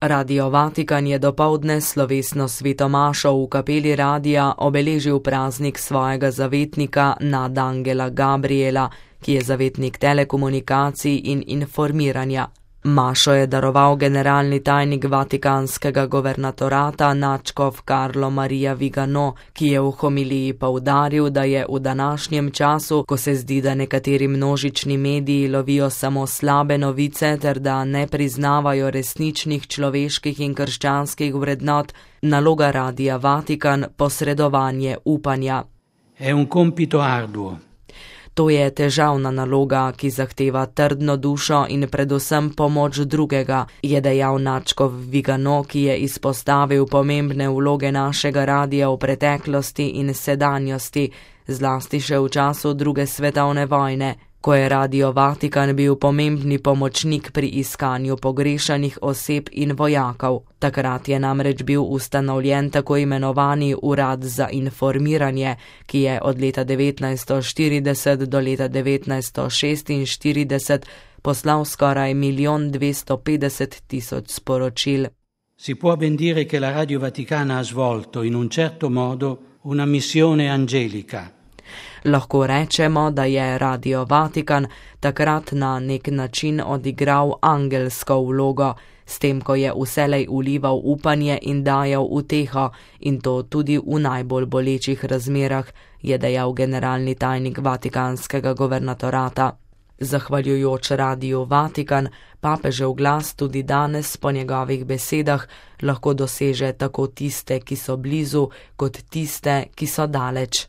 Radio Vatikan je dopoldne slovesno svetomašo v kapeli radia obeležil praznik svojega zavetnika nadangela Gabriela, ki je zavetnik telekomunikacij in informiranja. Mašo je daroval generalni tajnik vatikanskega governatorata nadškof Carlo Maria Vigano, ki je v homiliji poudaril, da je v današnjem času, ko se zdi, da nekateri množični mediji lovijo samo slabe novice ter da ne priznavajo resničnih človeških in krščanskih vrednot, naloga Radia Vatikan posredovanje upanja. È un compito arduo. To je težavna naloga, ki zahteva trdno dušo in predvsem pomoč drugega, je dejal nadškof Vigano, ki je izpostavil pomembne vloge našega radia v preteklosti in sedanjosti, zlasti še v času druge svetovne vojne, ko je Radio Vatikan bil pomembni pomočnik pri iskanju pogrešanih oseb in vojakov. Takrat je namreč bil ustanovljen tako imenovani Urad za informiranje, ki je od leta 1940 do leta 1946 poslal skoraj 1.250.000 sporočil. Si può ben dire che la Radio Vaticana ha svolto in un certo modo una missione angelica. Lahko rečemo, da je Radio Vatikan takrat na nek način odigral angelsko vlogo, s tem, ko je vselej vlival upanje in dajal uteho, in to tudi v najbolj bolečih razmerah, je dejal generalni tajnik vatikanskega governatorata. Zahvaljujoč Radiu Vatikan, papežev glas tudi danes po njegovih besedah lahko doseže tako tiste, ki so blizu, kot tiste, ki so daleč.